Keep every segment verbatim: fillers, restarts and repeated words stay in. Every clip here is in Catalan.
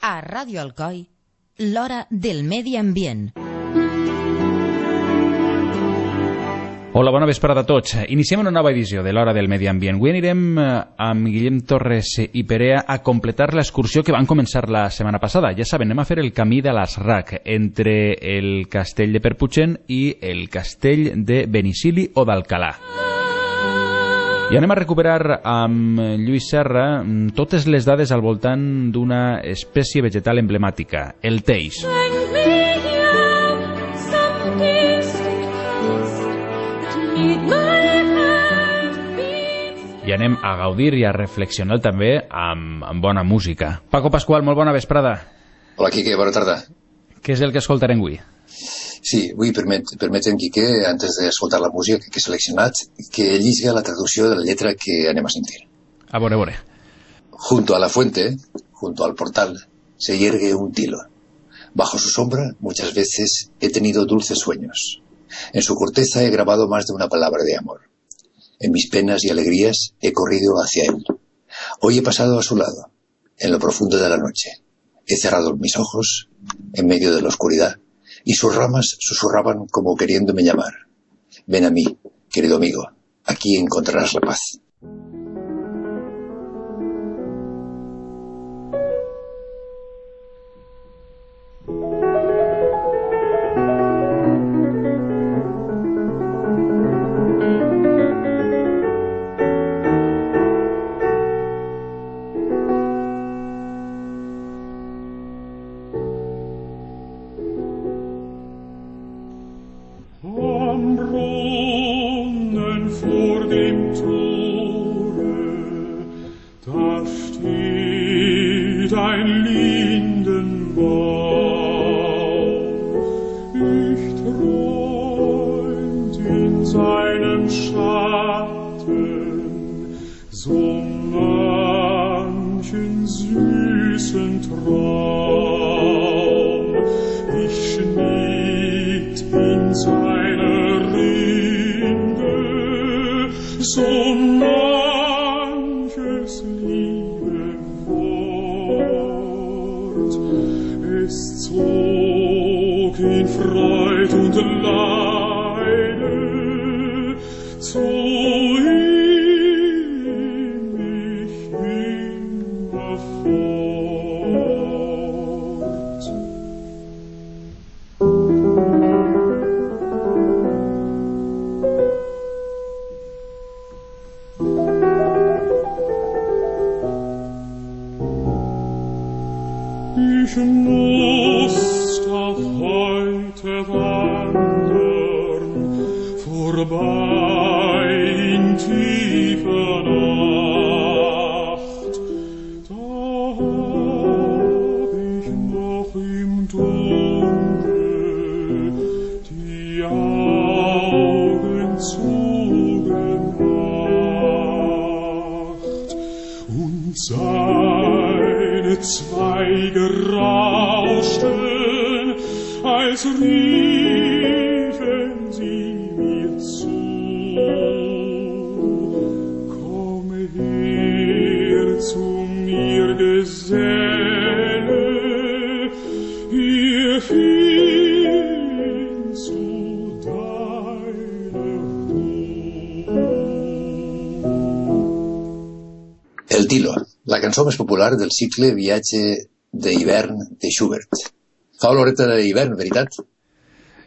A Ràdio Alcoi, l'hora del medi ambient. Hola, bona vesprada a tots. Iniciem una nova edició de l'Hora del Medi Ambient. Avui anirem amb Guillem Torres i Perea a completar l'excursió que van començar la setmana passada. Ja saben, anem a fer el camí de l'Asrac entre el castell de Perputxent i el castell de Benicili o d'Alcalà. I anem a recuperar amb Lluís Serra totes les dades al voltant d'una espècie vegetal emblemàtica, el teix. I anem a gaudir i a reflexionar també amb, amb bona música. Paco Pascual, molt bona vesprada. Hola, Quique, bona tarda. Què és el que escoltarem avui? Sí, avui permet, permeten, Quique, antes d'escoltar la música que he seleccionat, que llisga la traducció de la lletra que anem a sentir. A veure, a veure. Junto a la fuente, junto al portal, se yergue un tilo. Bajo su sombra, muchas veces he tenido dulces sueños. En su corteza he grabado más de una palabra de amor. En mis penas y alegrías he corrido hacia él. Hoy he pasado a su lado, en lo profundo de la noche. He cerrado mis ojos, en medio de la oscuridad, y sus ramas susurraban como queriéndome llamar. Ven a mí, querido amigo, aquí encontrarás la paz. El Tilo, la cançó més popular del cicle Viatge d'hivern de Schubert. Fa oloreta d'hivern, veritat?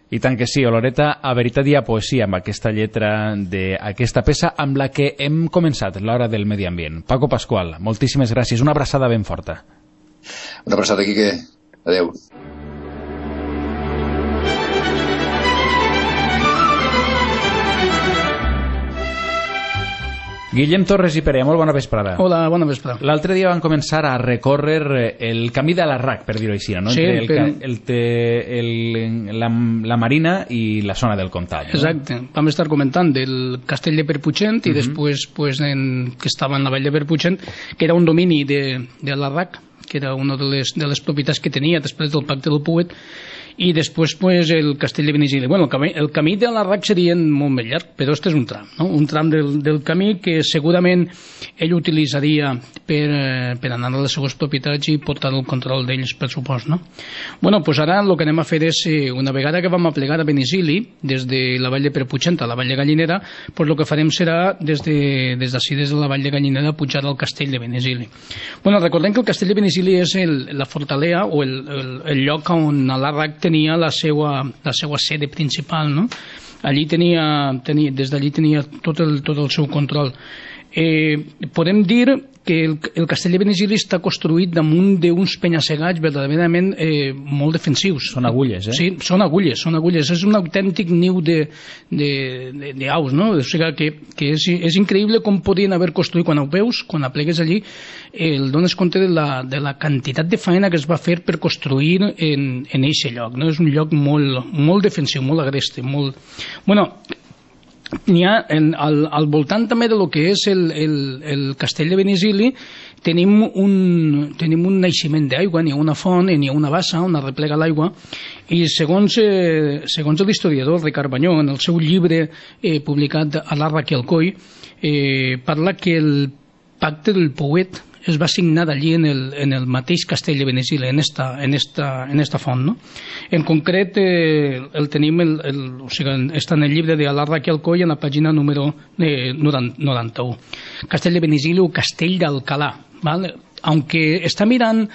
I tant que sí, oloreta a veritat i a poesia amb aquesta lletra d'aquesta peça amb la que hem començat l'Hora del Medi Ambient. Paco Pascual, moltíssimes gràcies, una abraçada ben forta. Una abraçada, Quique. Adéu. Guillem Torres i Perea, molt bona vesprada. Hola, bona vesprada. L'altre dia van començar a recórrer el camí de l'Arrac, per dir-ho així, no? Sí, entre el, però... el, el, la, la Marina i la zona del Comtal. No? Exacte. Vam estar comentant del castell de Perputxent i uh -huh. després pues, en, que estava en la vall de Perputxent, que era un domini de, de l'Arrac, que era una de les, de les propietats que tenia després del pacte del Puet, i després pues, el castell de Benigili. Bueno, el, camí, el camí de Larrac seria molt més llarg, però este és un tram, no? Un tram del, del camí que segurament ell utilitzaria per, per anar a les seues propietats i portar el control d'ells, per supost, no? Bueno, pues ara el que anem a fer és, una vegada que vam a plegar a Benigili, des de la vall de Perpuigent a la vall de Gallinera, pues el que farem serà des de, des d'ací, des de la vall de Gallinera, pujar al castell de Benigili. Bueno, recordem que el castell de Benigili és el, la fortalea o el, el, el lloc on Larrac tenia la seva, la seva sede principal, no? Allí tenia, tenia, des d'allí tenia tot el, tot el seu control. Eh, podem dir que el, el castell de Benigili està construït damunt d'uns penya-segats verdaderament eh, molt defensius. Són agulles, eh? Sí, són agulles, són agulles. És un autèntic niu d'aus, no? O sigui que, que és, és increïble com podien haver construït, quan ho veus, quan aplegues allí, el dones compte de la, de la quantitat de feina que es va fer per construir en, en aquest lloc, no? És un lloc molt, molt defensiu, molt agreste, molt... Bueno, n'hi ha en, al, al voltant també de lo que és el, el, el castell de Benigili tenim un, tenim un naixement d'aigua, n'hi ha una font, n'hi ha una bassa on es replega l'aigua i segons, eh, segons l'historiador Ricard Banyó en el seu llibre eh, publicat a Larrac i Alcoi eh, parla que el pacte del Pouet es va signar allí en el, en el mateix castell de Benigili, en esta, en esta, en esta font, no? En concret, eh, el tenim, el, el, o sigui, està en el llibre de Larrac i Alcoi, en la pàgina número eh, noranta-u. Castell de Benigili o Castell d'Alcalà, ¿vale? Aunque està mirant,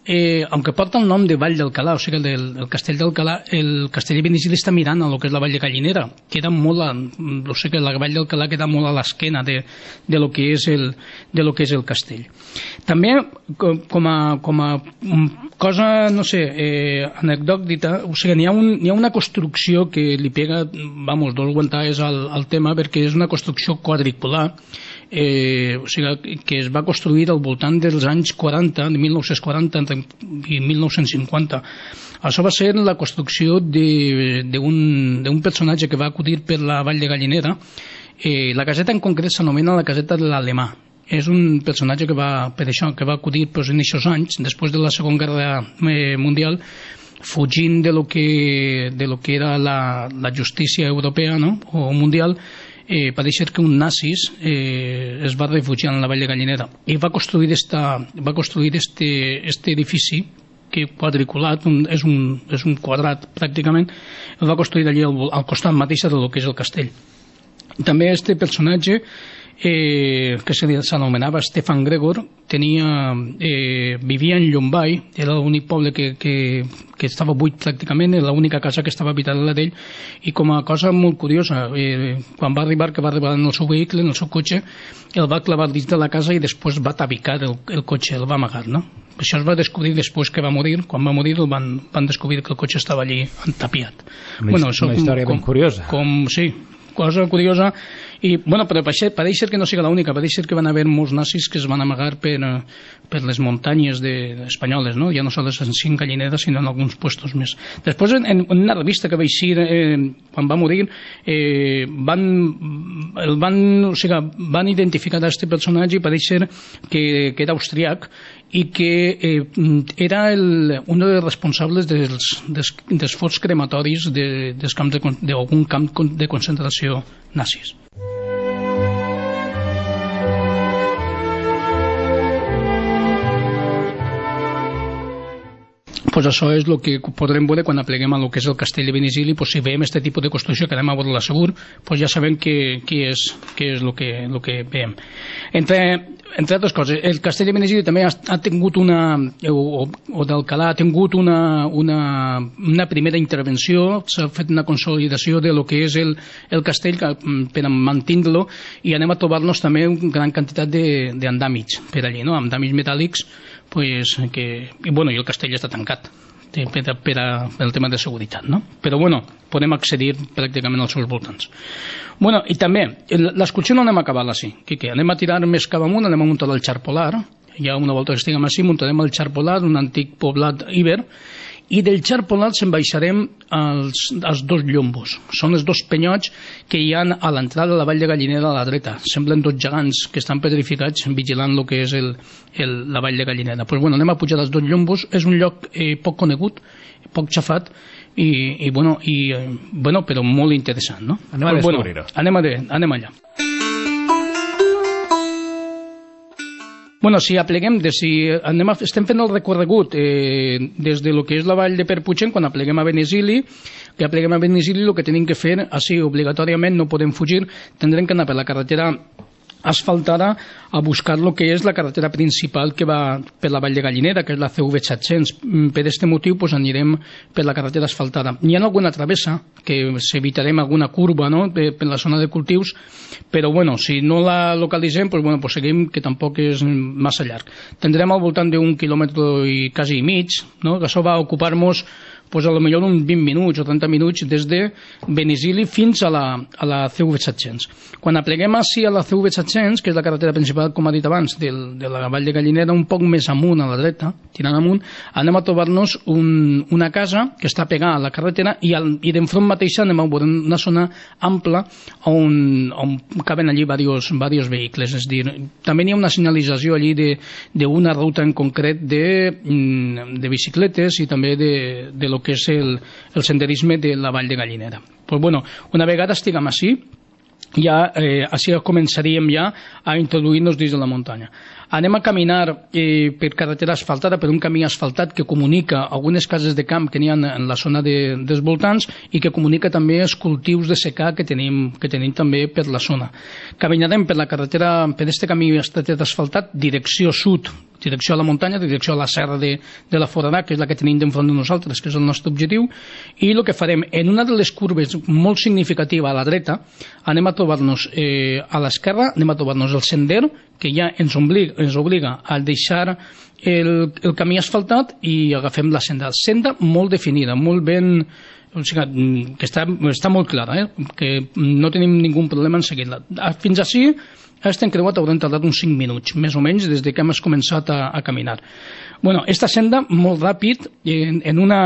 eh, aunque porta el nom de Vall d'Alcalà, o sigui, el, el castell d'Alcalà, el castell de Benigili està mirant a lo que és la Vall de Gallinera, queda molt a, o sigui, la Vall d'Alcalà queda molt a l'esquena de, de lo que és el, de lo que és el castell. També, com a, com a cosa, no sé, eh, anecdòctica, o sigui, n'hi ha, un, n'hi ha una construcció que li pega, vamos, dos guantades al, al tema, perquè és una construcció quadricular, eh, o sigui, que es va construir al voltant dels anys quaranta, de mil nou-cents quaranta i mil nou-cents cinquanta. Això va ser la construcció d'un personatge que va acudir per la Vall de Gallinera. Eh, la caseta en concret s'anomena la caseta de l'Alemà. És un personatge que va, per això, que va acudir pues, en aquests anys, després de la Segona Guerra eh, Mundial, fugint de lo que, de lo que era la, la justícia europea, no? O mundial. Eh, va deixar que un nazis eh, es va refugiar en la Vall de Gallinera i va construir, esta, va construir este, este edifici que quadriculat, un, és, un, és un quadrat pràcticament, el va construir allí al, al costat mateix de lo que és el castell. També este personatge eh, que s'anomenava Stefan Gregor tenia, eh, vivia en Llombai, era l'únic poble que, que, que estava buit pràcticament, era l'única casa que estava habitada la d'ell, i com a cosa molt curiosa, eh, quan va arribar, que va arribar en el seu vehicle, en el seu cotxe, el va clavar dins de la casa i després va tabicar el, el cotxe, el va amagar, no? Això es va descobrir després que va morir. Quan va morir el van, van descobrir que el cotxe estava allí entapiat. Una, bueno, això, una història com, ben curiosa. Com, sí, cosa curiosa. I, bueno, però pareix ser que no sigui l'única, pareix ser que van haver molts nazis que es van amagar per, per les muntanyes de, de espanyoles, no? Ja no sols en cinc Gallineres, sinó en alguns puestos més. Després, en, en una revista que vaig dir, eh, quan va morir, eh, van, el van, o sigui, van identificar aquest personatge i pareix ser que, que era austríac i que eh, era el, un dels responsables dels, dels, dels forts crematoris de, dels camps de, d'algun camp de concentració nazis. Pues això és el que podrem veure quan apleguem a lo que és el castell de Benigili. Pues si veiem aquest tipus de construcció que anem a veure-la segur, pues ja sabem què és, què és el que, el que veiem. Entre, entre altres coses, el castell de Benigili també ha, ha tingut una, o, o d'Alcalà ha tingut una, una, una primera intervenció, s'ha fet una consolidació de lo que és el, el castell per mantenir-lo, i anem a trobar-nos també una gran quantitat d'andàmits per allí, no? Andàmits metàl·lics, pues, que, i, bueno, i el castell està tancat per, per, per el tema de seguretat, no? Però bueno, podem accedir pràcticament als seus voltants. Bueno, i també, l'excursió no anem a acabar-la així, que, que anem a tirar més cap amunt, anem a muntar el Xar Polar, ja una volta que estiguem així muntarem el Xar Polar, un antic poblat iber, i del Xar Polar se'n baixarem als, als dos llombos. Són els dos penyots que hi ha a l'entrada de la Vall de Gallinera a la dreta. Semblen dos gegants que estan petrificats vigilant el que és el, el, la Vall de Gallinera. Pues bueno, anem a pujar als dos llombos. És un lloc eh, poc conegut, poc xafat, i, i, bueno, i bueno, però molt interessant, no? Anem a descobrir-ho. Bueno, anem, a de, anem allà. Bueno, si apleguem, de, si anem a, estem fent el recorregut eh, des de lo que és la vall de Perpuigent, quan apleguem a Benesili, que apleguem a Benesili, el que tenim que fer, així obligatòriament no podem fugir, tindrem que anar per la carretera asfaltada a buscar el que és la carretera principal que va per la Vall de Gallinera, que és la C V set-cents. Per aquest motiu pues, anirem per la carretera asfaltada. Hi ha alguna travessa, que evitarem alguna curva, no?, per, per la zona de cultius, però bueno, si no la localitzem, pues, bueno, pues, seguim, que tampoc és massa llarg. Tindrem al voltant d'un quilòmetre i quasi mig, no?, que això va ocupar-nos pues a lo millor uns vint minuts o trenta minuts des de Benesili fins a la, a la C V set-cents. Quan apleguem així a la C V set-cents, que és la carretera principal, com ha dit abans, del, de la Vall de Gallinera, un poc més amunt a la dreta, tirant amunt, anem a trobar-nos un, una casa que està pegada a la carretera i, al, i d'enfront mateixa anem a veure una zona ampla on, on caben allí diversos, diversos vehicles. És dir, també hi ha una senyalització allí d'una ruta en concret de, de bicicletes i també de, de lo que és el, el senderisme de la Vall de Gallinera. Pues bueno, una vegada estiguem així, ja eh, així començaríem ja a introduir-nos dins de la muntanya. Anem a caminar eh, per carretera asfaltada, per un camí asfaltat que comunica algunes cases de camp que n'hi ha en la zona de, dels voltants i que comunica també els cultius de secà que tenim, que tenim també per la zona. Caminarem per la carretera, per este camí asfaltat, direcció sud, direcció a la muntanya, direcció a la serra de, de la Foradà, que és la que tenim d'enfront de nosaltres, que és el nostre objectiu, i el que farem, en una de les curves molt significativa a la dreta, anem a trobar-nos eh, a l'esquerra, anem a trobar-nos el sender, que ja ens obliga, ens obliga a deixar el, el camí asfaltat i agafem la senda. Senda molt definida, molt ben... O sigui, que està, està molt clara, eh? Que no tenim ningú problema en seguir-la. Fins així, aquest encreuat haurem tardat uns cinc minuts, més o menys, des de que hem començat a, a caminar. Bueno, esta senda, molt ràpid, en, en una...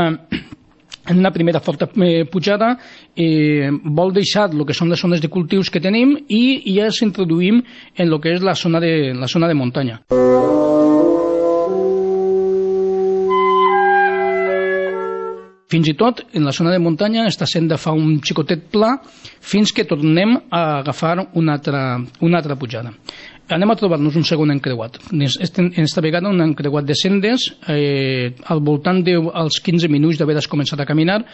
en una primera forta eh, pujada eh, vol deixar el que són les zones de cultius que tenim i ja ens introduïm en el que és la zona de, la zona de muntanya. Fins i tot, en la zona de muntanya, esta senda fa un xicotet pla fins que tornem a agafar una altra, una altra pujada. Anem a trobar-nos un segon encreuat. En esta vegada un encreuat de sendes, eh, al voltant dels quinze minuts d'haver començat a caminar,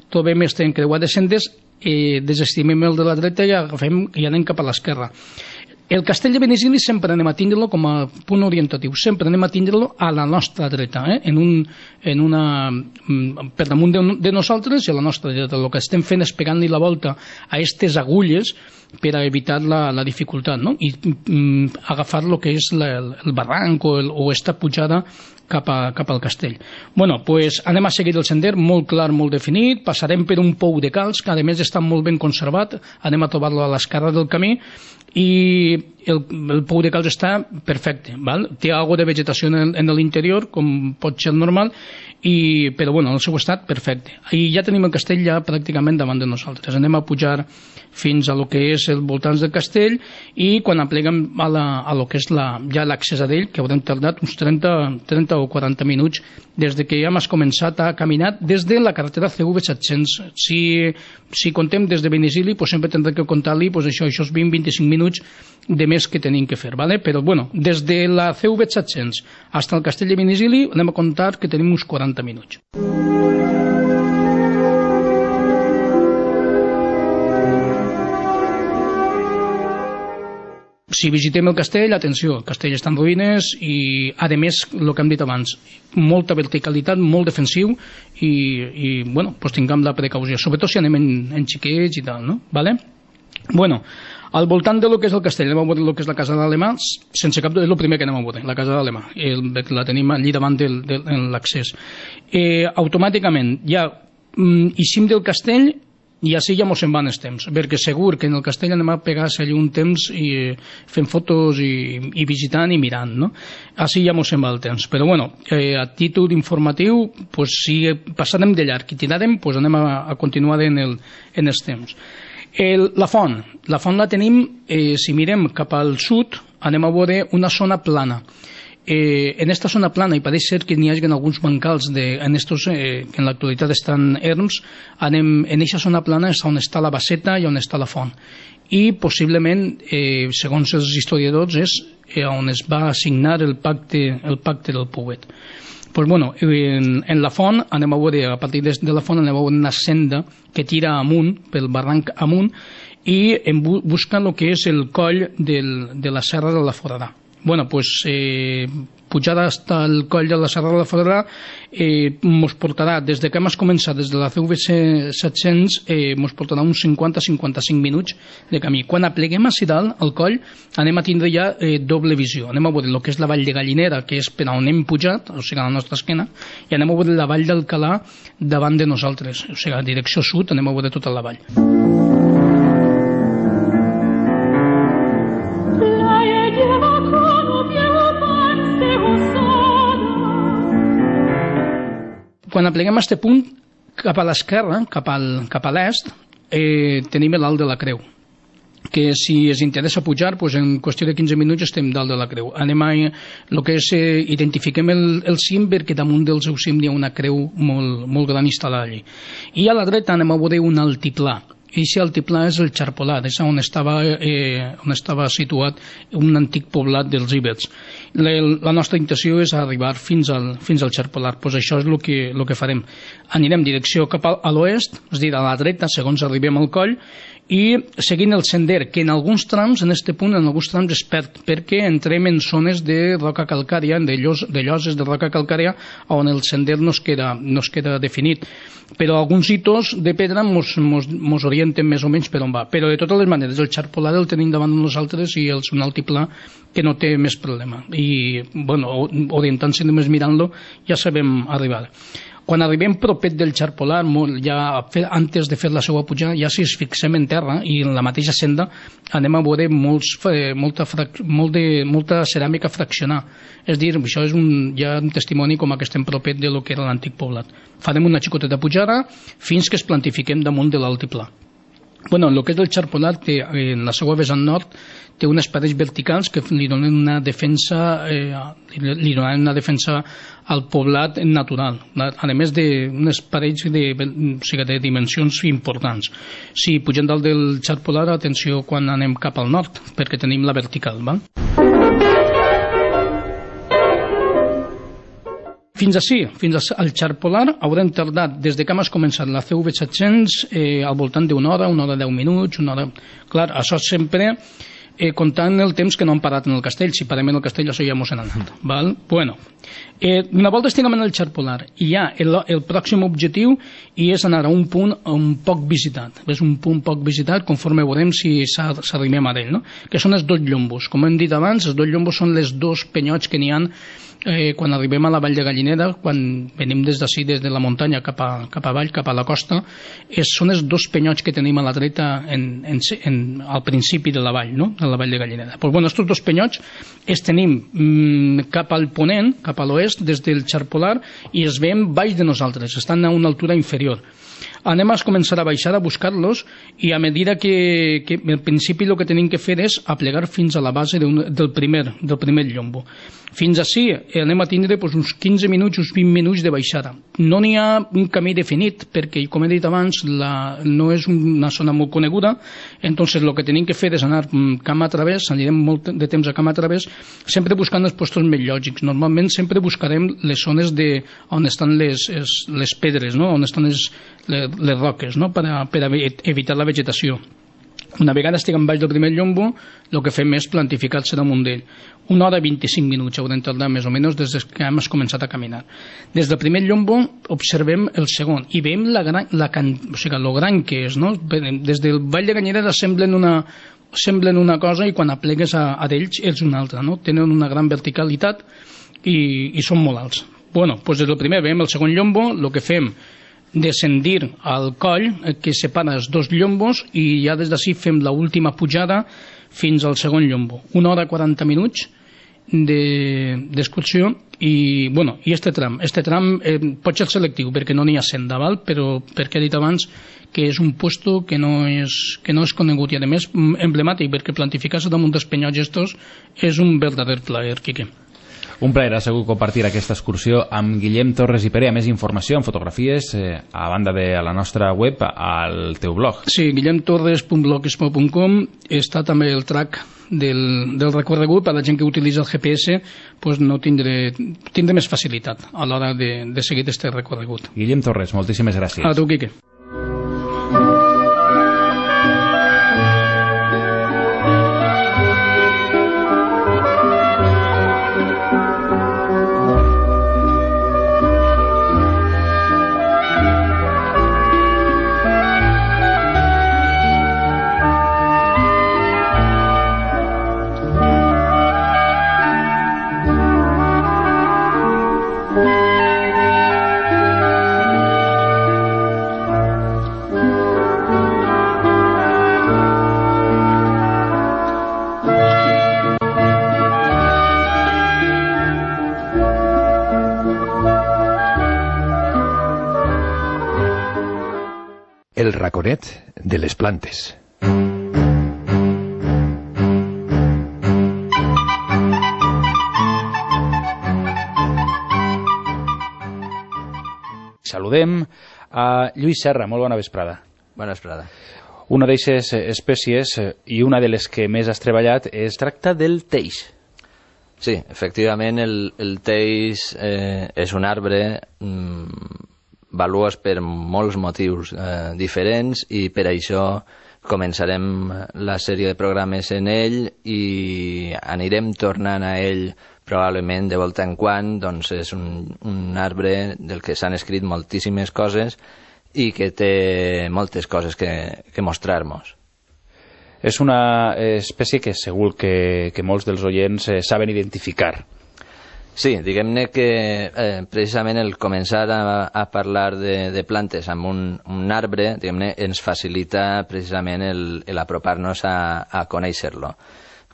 trobem este encreuat de sendes, eh, desestimem el de la dreta i agafem i anem cap a l'esquerra. El castell de Benesili sempre anem a tindre-lo com a punt orientatiu, sempre anem a tindre-lo a la nostra dreta, eh? en un, en una, per damunt de, de nosaltres i a la nostra dreta. El que estem fent és pegant-li la volta a aquestes agulles per a evitar la, la dificultat, no? I mm, agafar el que és la, el barranc o, el, o esta pujada cap, a, cap al castell. Bueno, pues anem a seguir el sender, molt clar, molt definit, passarem per un pou de calç, que a més està molt ben conservat, anem a trobar-lo a l'esquerra del camí, i el, el pou de calç està perfecte, val? Té algo de vegetació en, en l'interior, com pot ser normal, i, però bueno, el seu estat perfecte. I ja tenim el castell ja pràcticament davant de nosaltres. Anem a pujar fins a lo que és el voltants del castell i quan apleguem a, la, a lo que és la, ja l'accés a d'ell, que haurem tardat uns trenta, trenta o quaranta minuts des de que ja hem començat a caminar des de la carretera C V set-cents. Si, si contem des de Benesili, pues sempre tindrem que comptar-li pues això, això vint a vint-i-cinc minuts de més que tenim que fer, ¿vale? Però bueno, des de la C V set-cents fins al castell de Benesili anem a comptar que tenim uns quaranta minuts. Si visitem el castell, atenció, el castell està en ruïnes i, a més, el que hem dit abans, molta verticalitat, molt defensiu i, i bueno, pues tinguem la precaució, sobretot si anem en, en xiquets i tal, no? Vale? Bueno, al voltant de lo que és el castell, anem a veure el que és la casa d'Alemà, sense cap dubte, és el primer que anem a veure, la casa d'Alemà, la tenim allí davant de, de, de l'accés. Eh, automàticament, ja mm, eixim del castell i així ja mos en van els temps, perquè segur que en el castell anem a pegar-se allà un temps i fent fotos i, i visitant i mirant, no? Així ja mos en va el temps. Però bueno, eh, a títol informatiu, pues, si passarem de llarg i tirarem, pues anem a, a continuar en, el, en els temps. El, la font, la font la tenim, eh, si mirem cap al sud, anem a veure una zona plana. Eh, en esta zona plana, i pareix ser que n'hi hagi alguns bancals de, en estos, eh, que en l'actualitat estan erms, anem, en aquesta zona plana és on està la baseta i on està la font. I possiblement, eh, segons els historiadors, és eh, on es va assignar el pacte, el pacte del Pouet. Pues bueno, en, en la font, anem a veure, a partir de, de la font anem a veure una senda que tira amunt, pel barranc amunt, i en bu busca el que és el coll del, de la Serra de la Foradà. Bueno, pues eh, pujar hasta el coll de la Serra de la Foradà eh, mos portarà, des de que hem començat, des de la C V set-cents, eh, mos portarà uns cinquanta a cinquanta-cinc minuts de camí. Quan apleguem a dalt, al coll, anem a tindre ja eh, doble visió. Anem a veure el que és la vall de Gallinera, que és per on hem pujat, o sigui, a la nostra esquena, i anem a veure la vall d'Alcalà davant de nosaltres, o sigui, a direcció sud, anem a veure tota la vall. Quan apleguem a aquest punt, cap a l'esquerra, cap, al, cap a l'est, eh, tenim l'alt de la Creu, que si es interessa pujar, pues en qüestió de quinze minuts estem dalt de la Creu. Anem a, el que és, eh, identifiquem el, el cim, perquè damunt del seu cim hi ha una creu molt, molt gran instal·lada allí. I a la dreta anem a veure un altiplà. I aquest altiplà és el Charpolat, és on estava, eh, on estava situat un antic poblat dels íbers. La, la nostra intenció és arribar fins al, fins al Charpolat, pues això és el que, el que farem. Anirem direcció cap a, a l'oest, és a dir, a la dreta, segons arribem al coll, i seguint el sender, que en alguns trams, en aquest punt, en alguns trams es perd, perquè entrem en zones de roca calcària, de, llos, de lloses de roca calcària, on el sender no es queda, no es queda definit. Però alguns hitos de pedra mos, mos, mos orienten més o menys per on va. Però de totes les maneres, el Charpolat el tenim davant de nosaltres i és un altiplà que no té més problema. I, bueno, orientant-se només mirant-lo, ja sabem arribar. Quan arribem propet del Charpolat, ja antes de fer la seva pujada, ja si es fixem en terra i en la mateixa senda anem a veure molts, molta, molt de, molta ceràmica fraccionar. És dir, això és un, ja un testimoni com que estem propet de lo que era l'antic poblat. Farem una xicoteta pujada fins que es plantifiquem damunt de l'altiplà. Bueno, el que és el Charpolat, en la seva vessant nord, té unes parets verticals que li donen una defensa, eh, li donen una defensa al poblat natural, a més d'unes parets de, o sigui, de dimensions importants. Si pugem dalt del Charpolat, atenció quan anem cap al nord, perquè tenim la vertical, val? Fins ací, fins al Charpolat, haurem tardat, des de que hem començat la C V set-cents, eh, al voltant d'una hora, una hora deu minuts, una hora... Clar, això sempre eh, comptant el temps que no hem parat en el castell. Si parem en el castell, això ja mos hem anat. Val? Bueno, eh, una volta estiguem en el Charpolat, i ja el, el pròxim objectiu i és anar a un punt un poc visitat. És un punt poc visitat conforme veurem si s'arrimem a ell, no? Que són els dos llombos. Com hem dit abans, els dos llombos són les dos penyots que n'hi ha Eh, quan arribem a la vall de Gallinera, quan venim des d'ací, des de la muntanya cap a, cap avall, cap a la costa, és, són els dos penyots que tenim a la dreta en, en, en, al principi de la vall, no? De la vall de Gallinera. Pues, bueno, estos dos penyots els tenim mm, cap al ponent, cap a l'oest, des del Charpolat, i els veiem baix de nosaltres, estan a una altura inferior. Anem a començar a baixar, a buscar-los, i a mesura que, que al principi el que tenim que fer és aplegar fins a la base de un, del, primer, del primer llombo. Fins ací anem a tindre pues, uns quinze minuts, uns vint minuts de baixada. No n'hi ha un camí definit, perquè, com he dit abans, la, no és una zona molt coneguda, entonces el que tenim que fer és anar camp a través, anirem molt de temps a camp a través, sempre buscant els postos més lògics. Normalment sempre buscarem les zones de, on estan les, les pedres, no? On estan les, les, les roques, no? per, a, per a evitar la vegetació. Una vegada estiguem baix del primer llombo, el que fem és plantificar-se damunt d'ell. Una hora i vint-i-cinc minuts haurem tardat més o menys des que hem començat a caminar. Des del primer llombo observem el segon i veiem la gran, la can, o sigui, lo gran que és, no? Des del Vall de Gallinera semblen una, semblen una cosa i quan aplegues a, a d'ells és una altra, no? Tenen una gran verticalitat i, i són molt alts. Bueno, doncs des del primer veiem el segon llombo, el que fem descendir al coll que separa els dos llombos i ja des d'ací fem l'última pujada fins al segon llombo. Una hora i quaranta minuts d'excursió de, i, bueno, i este tram, este tram eh, pot ser selectiu perquè no n'hi ha senda, val? Però perquè he dit abans que és un puesto que no és, que no és conegut i a més emblemàtic perquè plantificar-se damunt dels penyots estos és un verdader plaer, Quique. Un plaer, ha sigut compartir aquesta excursió amb Guillem Torres i Perea. Més informació amb fotografies eh, a banda de la nostra web, al teu blog. Sí, guillem torres punt blogspot punt com. Està també el track del, del recorregut. Per a la gent que utilitza el G P S, pues no tindré, tindré més facilitat a l'hora de, de seguir aquest recorregut. Guillem Torres, moltíssimes gràcies. A tu, Quique. El raconet de les plantes. Saludem a Lluís Serra, molt bona vesprada. Bona vesprada. Una d'aquestes espècies i una de les que més has treballat es tracta del teix. Sí, efectivament el, el teix eh, és un arbre mmm, valuós per molts motius eh, diferents i per això començarem la sèrie de programes en ell i anirem tornant a ell probablement de volta en quan. Doncs és un, un arbre del que s'han escrit moltíssimes coses i que té moltes coses que, que mostrar-nos. És una espècie que segur que, que molts dels oients eh, saben identificar. Sí, diguem-ne que eh, precisament el començar a, a parlar de, de plantes amb un, un arbre, diguem-ne, ens facilita precisament el, el apropar-nos a, a conèixer-lo.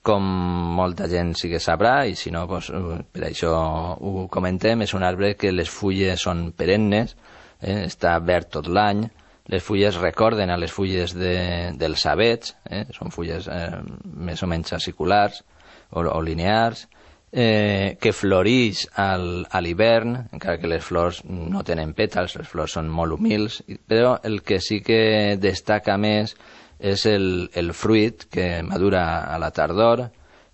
Com molta gent sí que sabrà, i si no, doncs, per això ho comentem, és un arbre que les fulles són perennes, eh, està verd tot l'any, les fulles recorden a les fulles de, dels avets, eh, són fulles eh, més o menys aciculars o, o linears, Eh, que floreix al, a l'hivern, encara que les flors no tenen pètals, les flors són molt humils, però el que sí que destaca més és el, el fruit que madura a la tardor.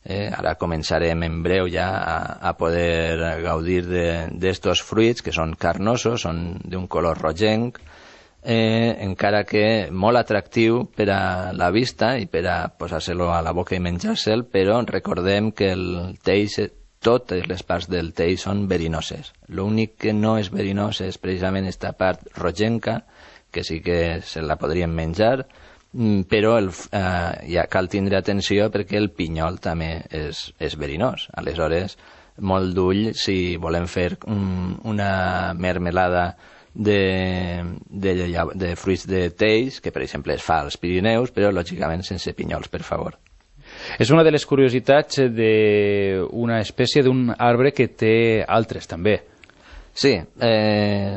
Eh, ara començarem en breu ja a, a poder gaudir d'estos fruits que són carnosos, són d'un color rogenc, eh, encara que molt atractiu per a la vista i per a posar-se-lo a la boca i menjar-se'l, però recordem que el teix, totes les parts del teix són verinoses. L'únic que no és verinós és precisament aquesta part rogenca, que sí que se la podríem menjar, però el, eh, ja cal tindre atenció perquè el pinyol també és, és verinós. Aleshores, molt d'ull si volem fer un, una mermelada De, de, de fruits de teix, que per exemple es fa als Pirineus, però lògicament sense pinyols, per favor. És una de les curiositats d'una espècie d'un arbre que té altres també. Sí, eh,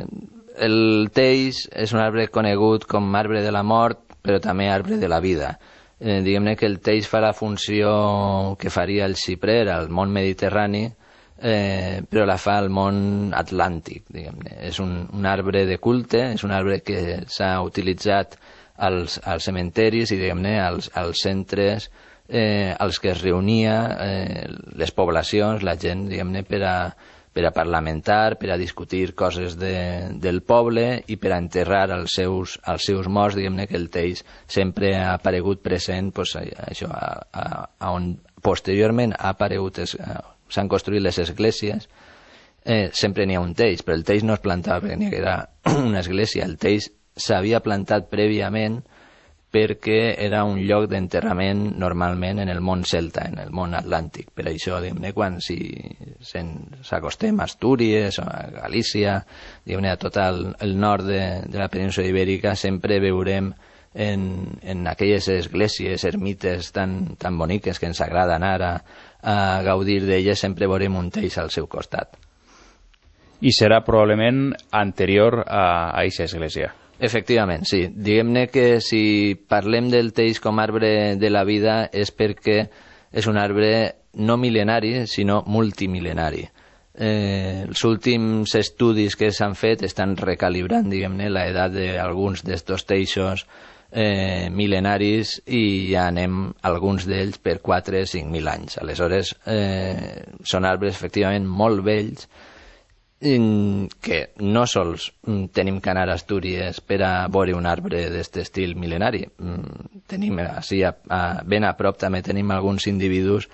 el teix és un arbre conegut com arbre de la mort, però també arbre de la vida. Eh, diguem-ne que el teix fa la funció que faria el xiprer al món mediterrani, Eh, però la fa al món atlàntic, diguem-ne. És un, un arbre de culte, és un arbre que s'ha utilitzat als, als cementeris i, diguem-ne, als, als centres eh, als que es reunia eh, les poblacions, la gent, diguem-ne, per a, per a parlamentar, per a discutir coses de, del poble i per a enterrar els seus, els seus morts, diguem-ne, que el teix sempre ha aparegut present, pues, això, a, a, a on posteriorment ha aparegut es, s'han construït les esglésies, eh, sempre n'hi ha un teix, però el teix no es plantava perquè n'hi haguera una església. El teix s'havia plantat prèviament perquè era un lloc d'enterrament normalment en el món celta, en el món atlàntic. Per això, diguem-ne, quan si s'acostem a Astúries o a Galícia, diguem-ne, a tot el, el nord de, de la península ibèrica, sempre veurem en, en aquelles esglésies, ermites tan, tan boniques que ens agrada anar a, a gaudir d'elles, sempre veurem un teix al seu costat. I serà probablement anterior a aquesta església. Efectivament, sí. Diguem-ne que si parlem del teix com arbre de la vida és perquè és un arbre no mil·lenari, sinó multimil·lenari. Eh, els últims estudis que s'han fet estan recalibrant, diguem-ne, l'edat d'alguns d'estos teixos eh, mil·lenaris, i ja anem alguns d'ells per quatre o cinc mil anys. Aleshores, eh, són arbres efectivament molt vells, que no sols tenim que anar a Astúries per a veure un arbre d'aquest estil mil·lenari. Tenim, així, a, a, ben a prop també tenim alguns individus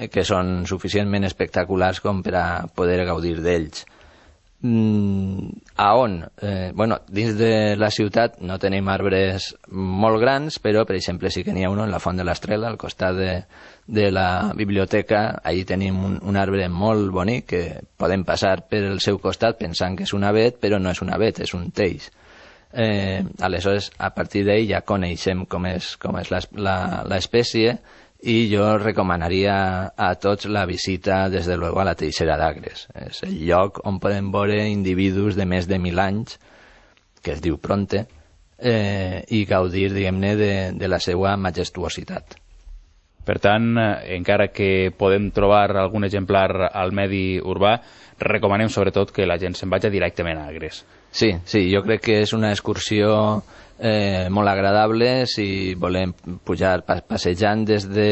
que són suficientment espectaculars com per a poder gaudir d'ells. Mm, a on? Eh, bueno, dins de la ciutat no tenim arbres molt grans, però per exemple sí que n'hi ha un en la Font de l'Estrela, al costat de, de la biblioteca. Allí tenim un, un arbre molt bonic que podem passar per el seu costat pensant que és un avet, però no és un avet, és un teix. Eh, aleshores, a partir d'ell ja coneixem com és, com és l'espècie, i jo recomanaria a tots la visita, des de luego, a la Teixera d'Agres. És el lloc on podem veure individus de més de mil anys, que es diu Pronte, eh, i gaudir, diguem-ne, de, de la seva majestuositat. Per tant, encara que podem trobar algun exemplar al medi urbà, recomanem sobretot que la gent se'n vagi directament a Agres. Sí, sí, jo crec que és una excursió eh, molt agradable si volem pujar passejant des de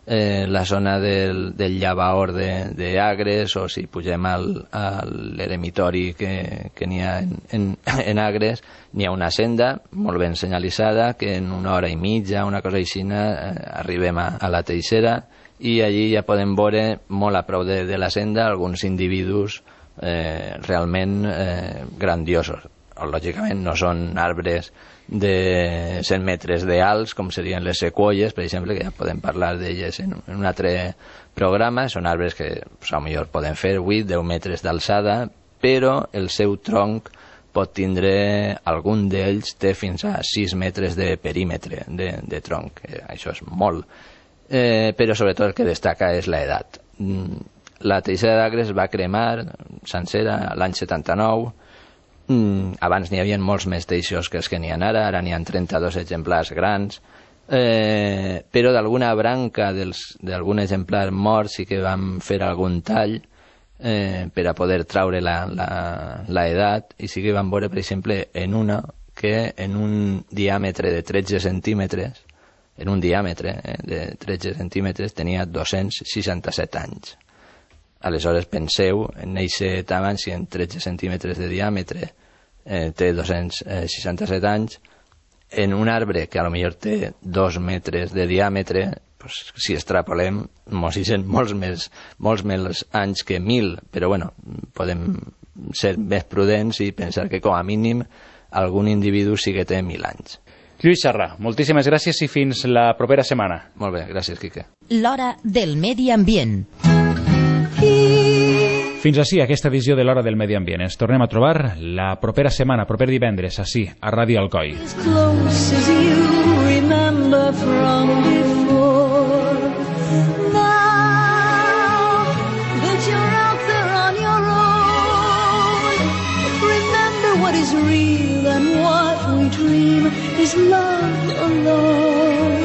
eh, la zona del, del llavaor d'Agres, o si pugem al, a l'eremitori que, que n'hi ha en, en, en Agres, n'hi ha una senda molt ben senyalitzada que en una hora i mitja, una cosa així, eh, arribem a, a la Teixera, i allí ja podem veure molt a prop de, de la senda alguns individus eh, realment eh, grandiosos. Lògicament no són arbres de cent metres d'alts com serien les sequoies, per exemple, que ja podem parlar d'elles en, en un altre programa. Són arbres que pues, potser poden fer vuit a deu metres d'alçada, però el seu tronc pot tindre, algun d'ells té fins a sis metres de perímetre de, de tronc. Eh, això és molt. Eh, però sobretot el que destaca és l'edat. La Teixera d'Agres va cremar sencera l'any setanta-nou. Mm, abans n'hi havia molts més teixos que els que n'hi ha ara, ara n'hi ha trenta-dos exemplars grans, eh, però d'alguna branca d'algun exemplar mort sí que vam fer algun tall eh, per a poder traure l'edat, i sí que vam veure, per exemple, en una que en un diàmetre de tretze centímetres, en un diàmetre eh, de tretze centímetres tenia dos-cents seixanta-set anys. Aleshores, penseu en aquest tamany, si en tretze centímetres de diàmetre eh, té dos-cents seixanta-set anys, en un arbre que a lo millor té dos metres de diàmetre, pues, si extrapolem, mos hicen molts més, molts més anys que mil, però bueno, podem ser més prudents i pensar que com a mínim algun individu sí que té mil anys. Lluís Serra, moltíssimes gràcies i fins la propera setmana. Molt bé, gràcies, Quique. L'Hora del Medi Ambient. Fins així aquesta edició de l'Hora del Medi Ambient. Ens tornem a trobar la propera setmana, proper divendres, així, a Ràdio Alcoi. What is real and what we dream is love alone.